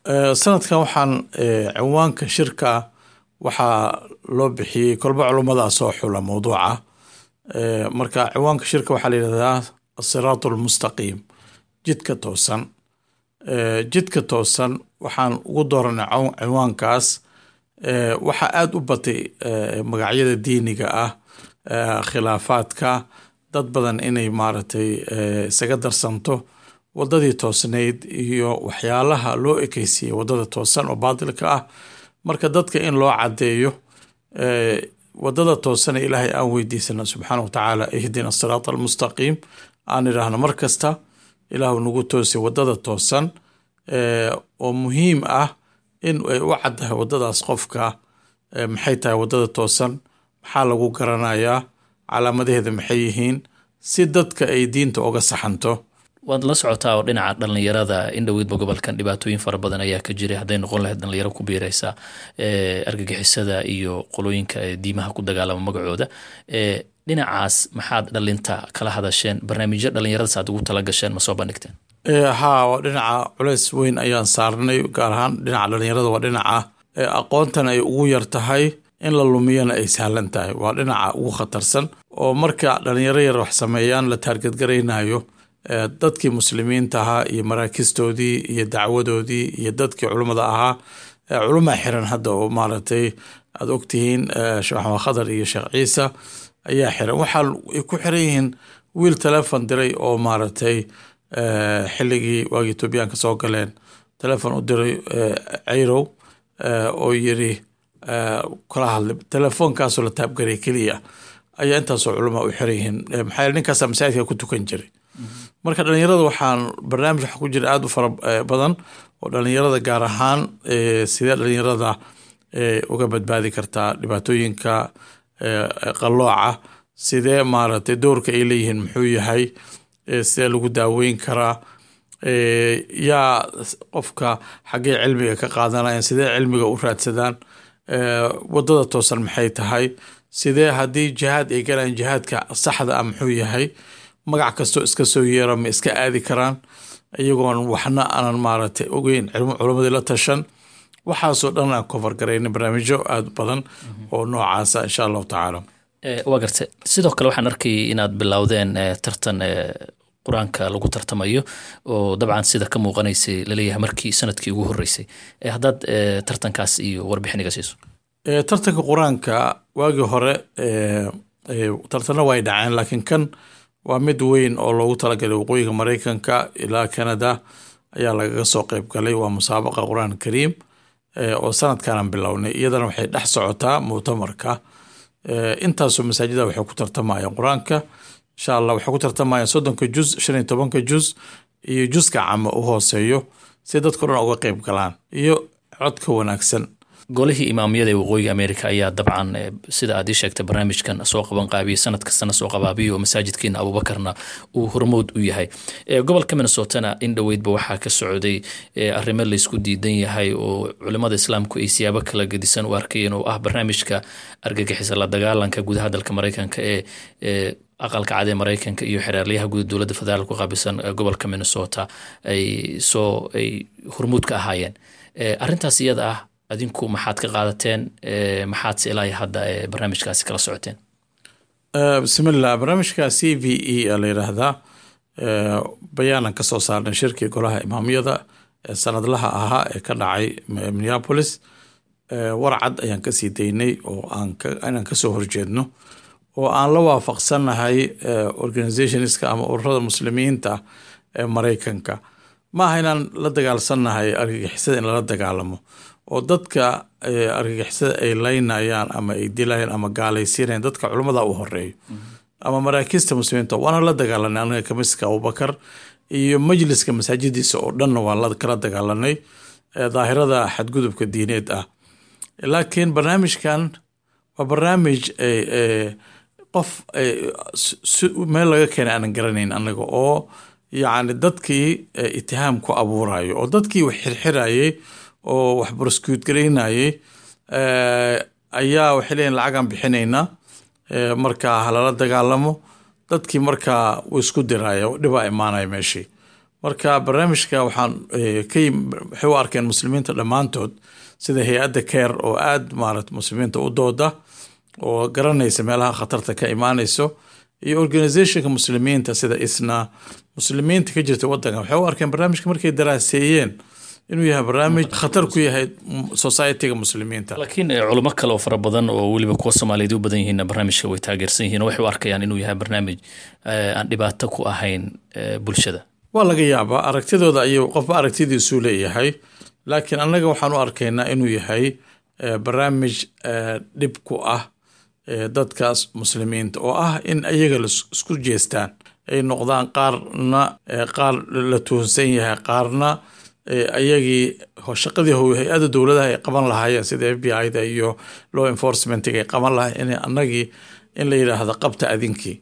Sanadkan waxaan cinwaanka shirka waxaa loo bixiyey, kolba culummadaa soo xula mawduuca. Marka cinwaanka shirka waxaa la yidhahdaa "Asiraat Almustaqiim", jidka toosan. Jidka toosan waxaan ugu dooranay cinwaankaas, waxaa aada u batay magacyada diiniga ah, khilaafaadka, dad badan inay maaragtay isaga darsanto wadadii toosnayd iyo waxyaalaha loo ekeysiiyey wadada toosan oo baatilka ah. Marka dadka in loo caddeeyo wadada toosan ee Ilaahay aan weydiisano subxaana wa tacaala, "Ihdina asiraat almustaqiim" aan idhaahno mar kasta, Ilaahu nagu toosay wadada toosan, oo muhiim ah in ay u caddahay wadadaas qofka. Maxay tahay wadada toosan? Maxaa lagu garanayaa? Calaamadaheeda maxay yihiin? Si dadka ay diinta uga saxanto. Waad la socotaa oo dhinaca dhalinyarada in dhoweydba gobolkan dhibaatooyin fara badan ayaa ka jiray, hadday noqon lahayd dhalinyaro ku biiraysa argagixisada iyo qolooyinka diimaha ku dagaalama magacooda. Dhinacaas maxaad dhalinta kala hadasheen? Barnaamijyo dhalinyaradaas aad ugu tala gasheen ma soo bandhigteen? Haa, waa dhinaca culeys weyn ayaan saarnay, gaar ahaan dhinaca dhalinyarada. Waa dhinaca aqoontan ay ugu yar tahay, in la lumiyana ay sahlan tahay. Waa dhinaca ugu khatarsan oo marka dhalinyaro yar wax sameeyaan la target garaynayo dadkii muslimiinta ahaa iyo maraakistoodii iyo dacwadoodii iyo dadkii culummada ahaa. Culumaa xiran hadda oo maaragtay aada ogtihiin, Sheekh Maxamed Khadar iyo Sheekh Ciise ayaa xiran. Waxaa ay ku xiran yihiin wiil telefon diray oo maaragtay xilligii waagii Etoobiyaanka soo galeen telefon u diray Cayrow oo yiri kala hadlay. Telefoonkaasoo la tap garay keliya ayaa intaasoo culamaa u xiran yihiin. Maxaa yeele ninkaasaa masaajidka ku tukan jiray. Marka dhalinyarada waxaan barnaamij waxa ku jira aada u fara badan oo dhalinyarada gaar ahaan, sidee dhalinyarada uga badbaadi kartaa dhibaatooyinka qallooca, sidee maaragtay doorka ay leeyihiin muxuu yahay, sidee lagu daaweyn karaa, yaa qofka xaggee cilmiga ka qaadanayaan, sidee cilmiga u raadsadaan, wadada toosan maxay tahay, sidee haddii jihaad ay galaan jihaadka saxda ah muxuu yahay, magac kastoo iska soo yeera ma iska aadi karaan iyagoon waxna aanan maaragtay ogeyn, culammadii la tashan. Waxaasoo dhan aan cover garaynay, barnaamijyo aada badan oo noocaasa, insha Allahu tacaala. Waa gartay. Sidoo kale waxaan arkayay inaad bilowdeen tartan Qur-aanka lagu tartamayo oo dabcan sida ka muuqanaysay laleeyahay markii sanadkii ugu horreysay. Haddaad tartankaas iyo warbixin iga siiso. Tartanka Qur-aanka waagii hore tartanna way dhaceen, laakiin kan waa mid weyn oo loogu talagalay waqooyiga Maraykanka ilaa Canada ayaa lagaga soo qeyb galay. Waa musaabaqa Qur-aan Kariim oo sanadkanan bilownay. Iyadana waxay dhex socotaa muctamarka. Intaasoo masaajida waxay ku tartamayaan Qur-aanka, insha Allah. Waxay ku tartamayaan 30-ka juz, 15-ka juz iyo juska cama u hooseeyo, si dadka dhan uga qeyb galaan iyo codka wanaagsan. Golihii imaamiyada ee waqooyiga America ayaa dabcan, sida aad ii sheegtay, barnaamijkan soo qaban qaabiyey, sanad kastana soo qabaabiyo, oo masaajidkiina Abuubakarna uu hormood u yahay. Gobolka Minnesotana in dhoweydba waxaa ka socday arrimo laysku diidan yahay oo culimada Islaamku ay siyaabo kala gedisan u arkayeen, oo ah barnaamijka argagixisa la dagaalanka gudaha dalka Maraykanka ee Aqalka Cad ee Maraykanka iyo xeeraalyaha guud dowladda federaalka ku qaabilsan gobolka Minnesota ay soo ay hormuud ka ahaayeen. Arrintaas iyada ah adinku maxaad ka qaadateen? Maxaad se ilaa hadda barnaamijkaasi kala socoteen? Bismillah. Barnaamijka CVE la yidhaahdaa bayaanan ka soo saarnay shirkii golaha imaamiyada ee sanadlaha ahaa ee ka dhacay Minneapolis. Warcad ayaan kasii daynay oo inaan kasoo horjeedno oo aan la waafaqsanahay organizationska ama ururada muslimiinta ee Maraykanka. Maaha inaan la dagaalsannahay argagixisada, in lala dagaalamo oo dadka argagixisada ay laynayaan ama ay dilayaan ama gaalaysiinayaan dadka culummada u horeeyo ama maraakiista muslimiinta, waana la dagaalanay. Anaga kamiska Abubakar iyo majliska masaajidiisa oo dhanna waa kala dagaalanay daahirada xadgudubka diineed ah. Laakiin barnaamijkan waa barnaamij qof meel laga keenay aanan garanayn anaga, oo yacni dadkii itihaam ku abuurayo oo dadkii wax xirxirayay oo wax prosecute garaynayay ayaa waxay leeyihin lacagaan bixinaynaa, markaa halala dagaalamo dadkii. Markaa wuu isku diraya, dhibaa imaanaya meeshii. Marka barnaamijka waxaan ka waxay u arkeen muslimiinta dhammaantood, sida hay-adda CAIR oo aada maarata muslimiinta u dooda oo garanaysa meelaha khatarta ka imaanayso, iyo organizationka muslimiinta sida ISNA, muslimiinta ka jirta wadanka, waxay u arkeen barnaamijka markay daraaseeyeen inuu yahay barnaamij khatar ku yahay societyga muslimiinta. Laakiin culimo kale oo fara badan oo weliba kuwa Soomaaliyeed u badan yihiinna barnaamijka way taageersan yihiin oo waxay u arkayaan inuu yahay barnaamij aan dhibaato ku ahayn bulshada. Waa laga yaabaa aragtidooda ayuu qofba aragtidiisuu leeyahay, laakiin annaga waxaan u arkaynaa inuu yahay barnaamij dhib ku ah dadkaas muslimiinta, oo ah in iyaga isku jeestaan, ay noqdaan qaarna qaar la tuhunsan yahay, qaarna ayagii shaqadii hay-adda dowladaha ay qaban lahaayeen sida FBI da iyo law enforcementiga ay qaban lahayen, in annagii in la yidhaahdo qabta adinkii.